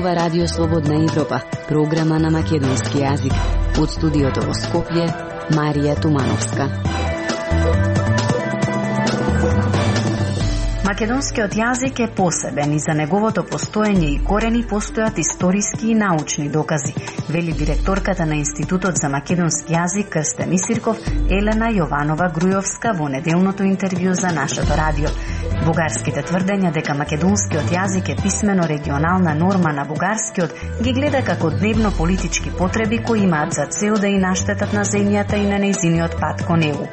зборува Радио Слободна Европа, програма на македонски јазик. Од студиото во Скопје, Марија Тумановска. Македонскиот јазик е посебен и за неговото постоење и корени постојат историски и научни докази, вели директорката на Институтот за македонски јазик Крстен Исирков Елена Јованова-Грујовска во неделното интервју за нашето радио. Бугарските тврдења дека македонскиот јазик е писмено регионална норма на бугарскиот ги гледа како дневно политички потреби кои имаат за цел да и наштетат на земјата и на нејзиниот пат кон него.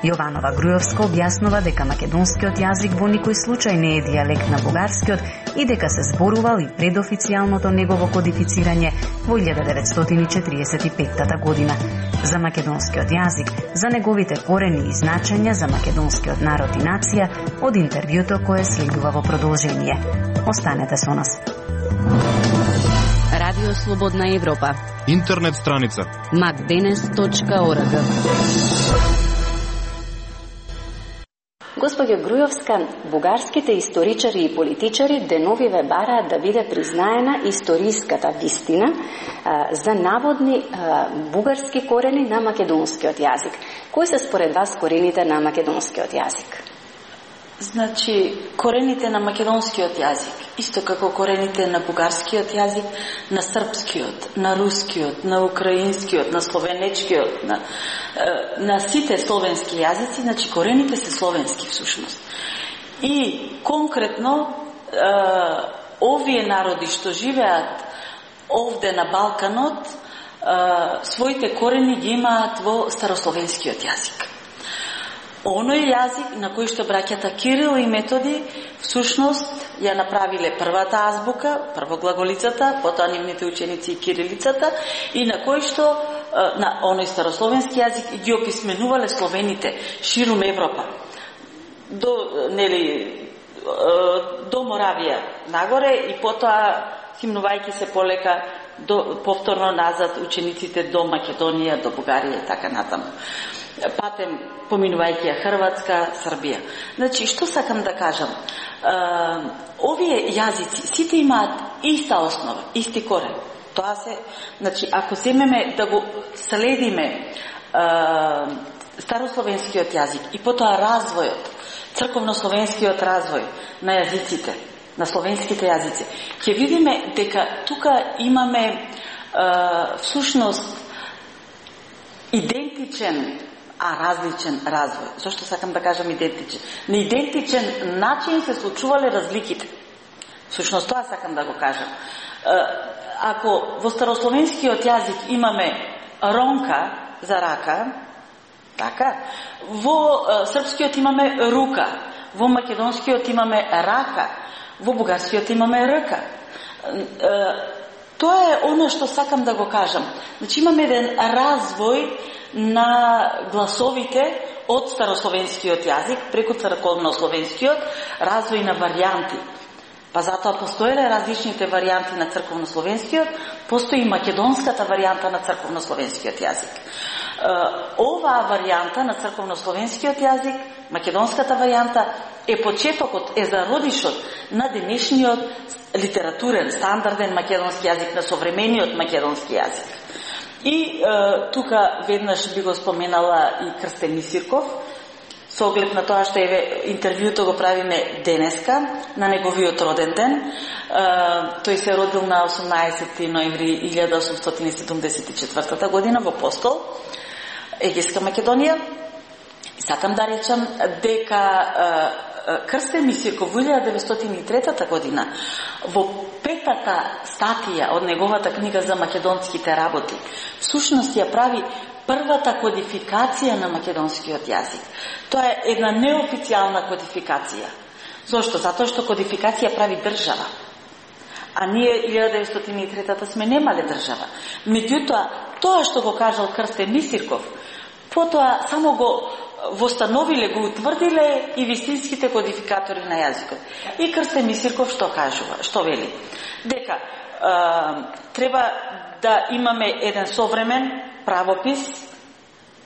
Јованова-Грујовска објаснува дека македонскиот јазик во никој случај не е дијалект на бугарскиот и дека се зборувал и пред официјалното негово кодифицирање во 1945 година. За македонскиот јазик, за неговите корени и значења за македонскиот народ и нација, од интервјуто кое следува во продолжение. Останете со нас. Радио Слободна Европа. Интернет страница macdenes.org. Госпоѓо Грујовска, бугарските историчари и политичари деновиве бараат да биде признаена историската вистина за наводни бугарски корени на македонскиот јазик. Кои се според вас корените на македонскиот јазик? Значи, корените на македонскиот јазик, исто како корените на бугарскиот јазик, на српскиот, на рускиот, на украинскиот, на словенечкиот, на сите словенски јазици, значи корените се словенски всушност. И конкретно овие народи што живеат овде на Балканот, своите корени ги имаат во старословенскиот јазик. Оној јазик на кој што браќата Кирил и Методи всушност ја направиле првата азбука, прво глаголицата, потоа нивните ученици и кирилицата, и на кој што на оној старословенски јазик ги описменувале словените ширум Европа. До Моравија нагоре и потоа химнувајќи се полека повторно назад учениците до Македонија, до Бугарија и така натаму. Патем поминувајќи ја Хрватска, Србија. Значи, што сакам да кажам? Овие јазици сите имаат иста основа, исти корен. Тоа се, значи, ако земеме да го следиме старословенскиот јазик и потоа развојот, црковнословенскиот развој на јазиците, на словенските јазици, ќе видиме дека тука имаме всушност идентичен, различен развој. Зошто сакам да кажам идентичен? На идентичен начин се случувале разликите. Всушност тоа сакам да го кажам. Ако во старословенскиот јазик имаме ронка за рака, така, во српскиот имаме рука, во македонскиот имаме рака, во бугарскиот имаме рка. Тоа е оно што сакам да го кажам. Значи имаме еден развој на гласовите од старословенскиот јазик преку црковнословенскиот, развој на варијанти. Па затоа постоеле различните варијанти на црковнословенскиот, постои и македонската варијанта на црковнословенскиот јазик. Оваа варијанта на црковнословенскиот јазик, македонската варијанта, е почетокот, е зародишот на денешниот литературен, стандарден македонски јазик, на современиот македонски јазик. И тука веднаш би го споменала и Крстен Исирков, со оглед на тоа што интервјуто го правиме денеска, на неговиот роден ден. Тој се родил на 18 ноември 1874 година во Постол, Егејска Македонија. И сакам да речам дека Крстен Исирков во 1903 година во петата статија од неговата книга за македонските работи всушност ја прави првата кодификација на македонскиот јазик. Тоа е една неофицијална кодификација. Зошто? Затоа што кодификација прави држава. А ние 1903 сме немале држава. Меѓутоа, тоа што го кажал Крстен Исирков, потоа само го востановиле, го утврдиле и вистинските кодификатори на јазикот. И Крстен Исирков што кажува, што вели? Дека треба да имаме еден современ правопис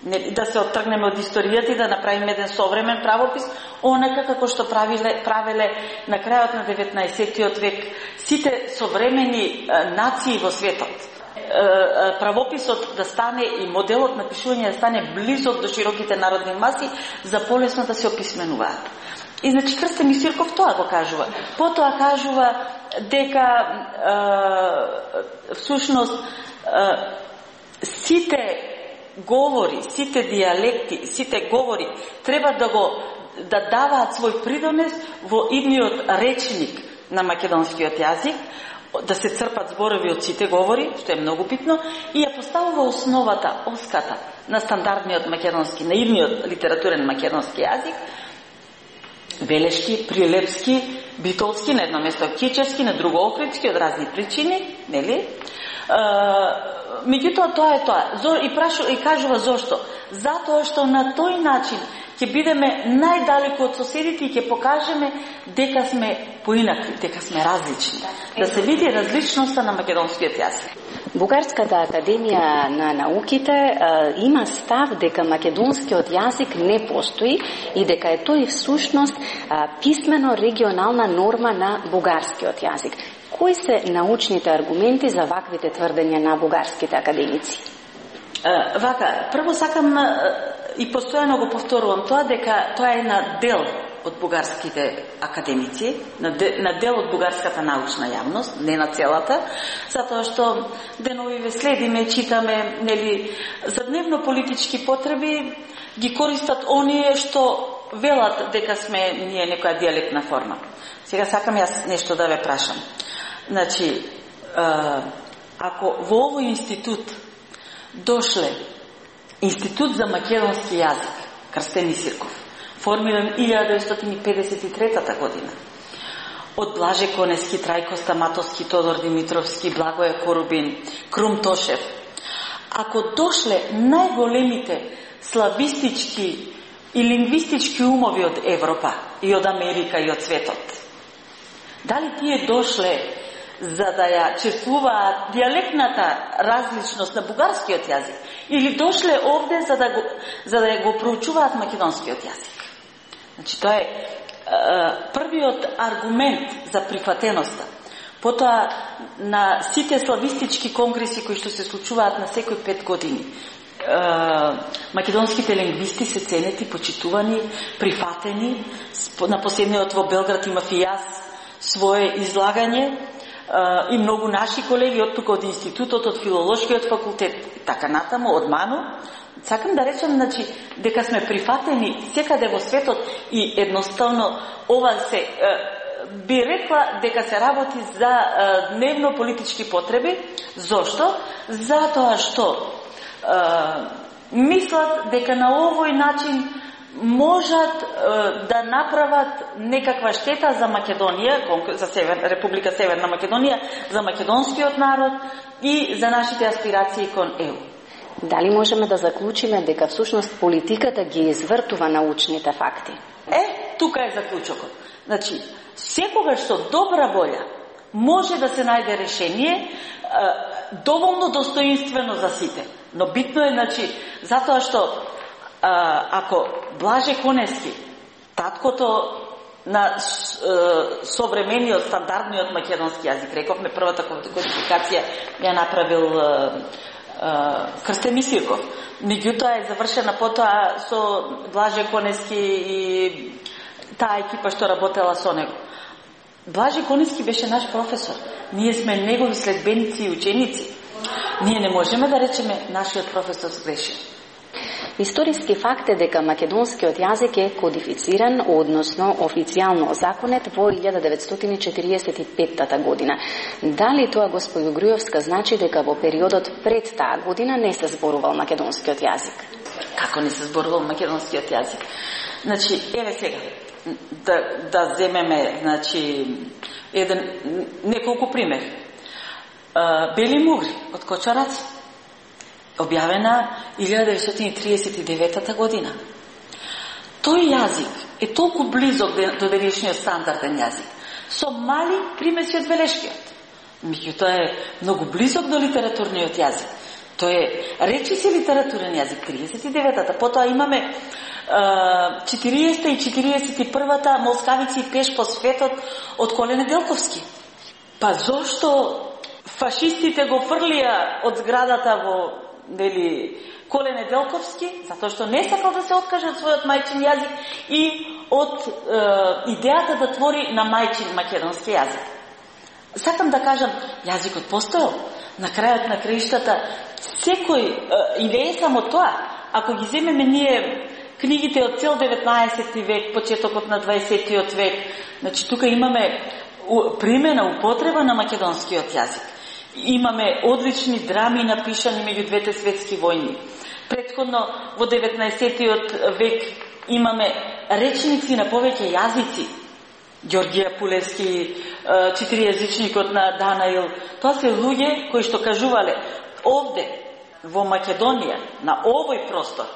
да се оттргнеме од историјата и да направиме еден современ правопис, онака како што правеле на крајот на 19 век сите современи нации во светот. Правописот да стане и моделот на пишување да стане близок до широките народни маси за полесно да се описменуваат. И значи Крстен Мисирков тоа го кажува. Потоа кажува дека всушност сите говори, сите диалекти, сите говори треба да даваат свој придонес во идниот речник на македонскиот јазик, да се црпат зборови од сите говори, што е многу битно, и ја поставува основата, оската на стандардниот македонски, на идниот литературен македонски јазик, белешки, прилепски, битолски, на едно место кичевски, на друго охридски, од разни причини, нели? Меѓутоа тоа е тоа. И кажува зошто? Затоа што на тој начин ќе бидеме најдалеку од соседите и ќе покажеме дека сме поинакви, дека сме различни. Да се види различноста на македонскиот јазик. Бугарската академија на науките има став дека македонскиот јазик не постои и дека е тој всушност писмено регионална норма на бугарскиот јазик. Кои се научните аргументи за ваквите тврдења на бугарските академици? Вака, прво сакам и постојано го повторувам тоа дека тоа е на дел од бугарските академици, на дел од бугарската научна јавност, не на целата, затоа што деновиве следиме, читаме, нели, за дневно политички потреби ги користат оние што велат дека сме ние некоја диалектна форма. Сега сакам јас нешто да ве прашам. Значи, ако во овој институт дошле Институт за македонски јазик, Крстен Мисирков, формиран 1953 година, од Блаже Конески, Трајко Стаматовски, Тодор Димитровски, Благоје Корубин, Крум Тошев, ако дошле најголемите славистички и лингвистички умови од Европа и од Америка и од светот, дали тие дошле за да ја чествуваат диалектната различност на бугарскиот јазик или дошле овде за да ја го проучуваат македонскиот јазик? Значи, тоа е првиот аргумент за прифатеноста. Потоа, на сите славистички конгреси кои што се случуваат на секој 5 години, македонските лингвисти се ценети, почитувани, прифатени. На последниот во Белград имав и јас свое излагање, и многу наши колеги од тука од институтот, од филолошкиот факултет и така натаму, од МАНУ. Сакам да речам, значи, дека сме прифатени секаде во светот и едноставно ова се би рекла дека се работи за дневно политички потреби. Зошто? Затоа што мислат дека на овој начин можат да направат некаква штета за Македонија, за Република Северна Македонија, за македонскиот народ и за нашите аспирации кон ЕУ. Дали можеме да заклучиме дека всушност политиката ги извртува научните факти? Тука е заклучокот. Значи, секогаш со добра волја може да се најде решение доволно достоинствено за сите. Но битно е, значи, затоа што ако Блаже Конески, таткото на современиот, стандардниот македонски јазик, рековме првата кодификација ја направил Крстен Мисирков. Меѓутоа е завршена потоа со Блаже Конески и таа екипа што работела со него. Блаже Конески беше наш професор. Ние сме негови следбеници и ученици. Ние не можеме да речеме нашиот професор сгреши. Историски факт е дека македонскиот јазик е кодифициран, односно официјално законет во 1945 година. Дали тоа, господи Грујовска, значи дека во периодот пред таа година не се зборувал македонскиот јазик? Како не се зборувал македонскиот јазик? Значи, еве сега, да земеме, значи, неколку примери. Бели мугри од Кочараци, објавена 1939 година. Тој јазик е толку близок до денешниот стандарден јазик, со мали примеси од белешкиот. Меѓутоа е многу близок до литературниот јазик. Тоа е речиси литературен јазик 39-та, потоа имаме 40-та и 41-та Молскавици и пеш по светот од Коле Неделковски. Па зошто фашистите го фрлија од зградата во Коле Неделковски? Затоа што не сакал да се откаже од својот мајчин јазик и од идејата да твори на мајчин македонски јазик. Сакам да кажам, јазикот постоел. На крајот на краиштата, секој, и не е само тоа, ако ги земеме ние книгите од цел 19 век, почетокот на 20 век, значи тука имаме примена, употреба на македонскиот јазик. Имаме одлични драми напишани меѓу двете светски војни. Претходно во 19 век имаме речници на повеќе јазици. Ѓорѓија Пулевски, четиријазичникот на Данаил. Тоа се луѓе кои што кажувале овде, во Македонија, на овој простор,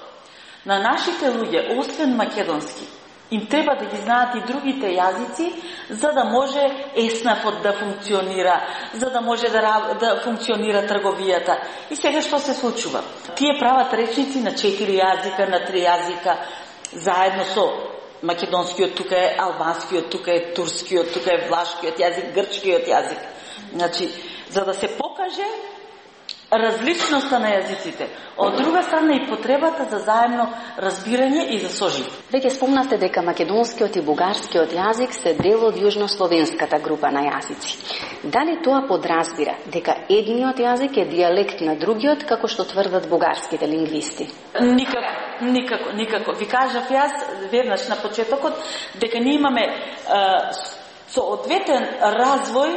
на нашите луѓе, освен македонски, им треба да ги знаат и другите јазици, за да може еснафот да функционира, за да може да функционира трговијата. И сега што се случува? Тие прават речници на 4 јазика, на 3 јазика, заедно со македонскиот, тука е албанскиот, тука е турскиот, тука е влашкиот јазик, грчкиот јазик. Значи, за да се покаже различноста на јазиците. Од друга страна и потребата за заемно разбирање и за сожив. Веќе спомнавте дека македонскиот и бугарскиот јазик се дел од јужнословенската група на јазици. Дали тоа подразбира дека едниот јазик е дијалект на другиот, како што тврдат бугарските лингвисти? Никако. Ви кажав јас веднаш на почетокот дека ние имаме соодветен развој,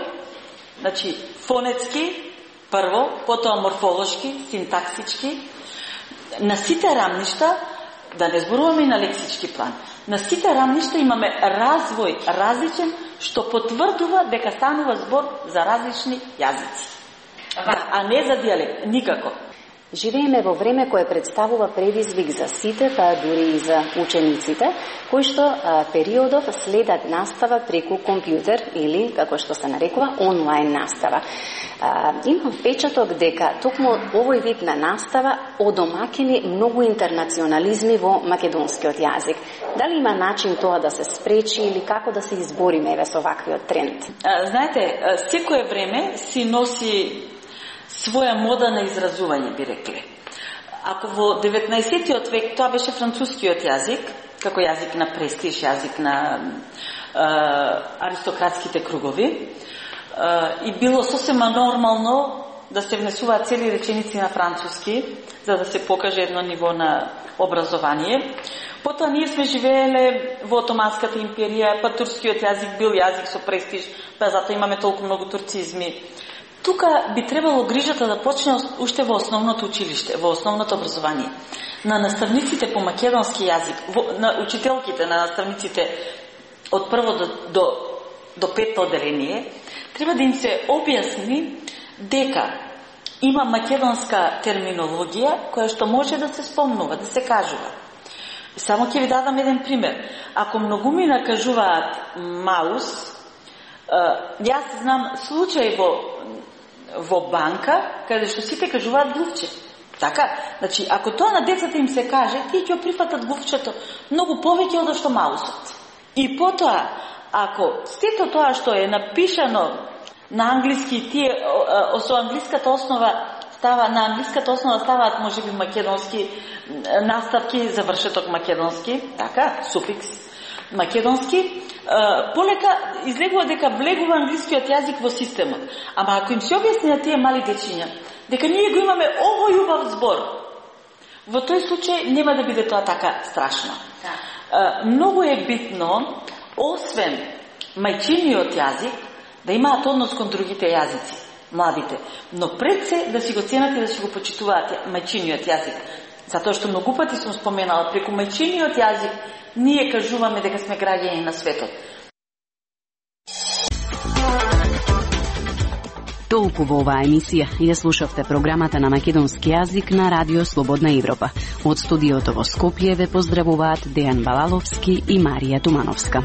значи фонетски, прво, потоа морфолошки, синтаксички, на сите рамништа, да не зборуваме и на лексички план, на сите рамништа имаме развој различен, што потврдува дека станува збор за различни јазици. А не за дијалект, никако. Живееме во време кое представува предизвик за сите, па дури и за учениците, кои што периодов следат настава преку компјутер или, како што се нарекува, онлайн настава. Имам впечаток дека токму овој вид на настава одомакени многу интернационализми во македонскиот јазик. Дали има начин тоа да се спречи или како да се избориме со ваквиот тренд? Знаете, секое време си носи своја мода на изразување, би рекле. Ако во 19 век тоа беше францускиот јазик, како јазик на престиж, јазик на аристократските кругови, и било сосема нормално да се внесуваат цели реченици на француски, за да се покаже едно ниво на образование. Потоа ние сме живееле во Отоманската империја, па турскиот јазик бил јазик со престиж, па затоа имаме толку многу турцизми. Тука би требало грижата да почне уште во основното училиште, во основното образование. На наставниците по македонски јазик, на учителките, на наставниците од прво до петто оделение, треба да им се објасни дека има македонска терминологија која што може да се спомнува, да се кажува. Само ќе ви дадам еден пример. Ако многумина кажуваат маус, јас знам случај во банка, каде што сите кажуваат глувче. Така? Значи, ако тоа на децата им се каже, тие ќе прифатат глувчето многу повеќе од што маусот. И потоа, ако сето тоа што е напишано на англиски, тие со англиската основа на англиската основа ставаат можеби македонски наставки, завршеток македонски, така, суфикс македонски, полека излегува дека влегува англискиот јазик во системот. Ама ако им се објасни на тие мали дечиња дека ние го имаме овој убав збор, во тој случај нема да биде тоа така страшно. Многу е битно, освен мајчиниот јазик, да имаат однос кон другите јазици, младите, но пред се да си го ценат и да си го почитуваат мајчиниот јазик. Затоа што многу пати сум споменала, преку мајчиниот јазик ние кажуваме дека сме граѓани на светот. Толку во оваа емисија ја слушавте програмата на македонски јазик на Радио Слободна Европа. Од студиото во Скопје ве поздравуваат Дејан Балаловски и Марија Тумановска.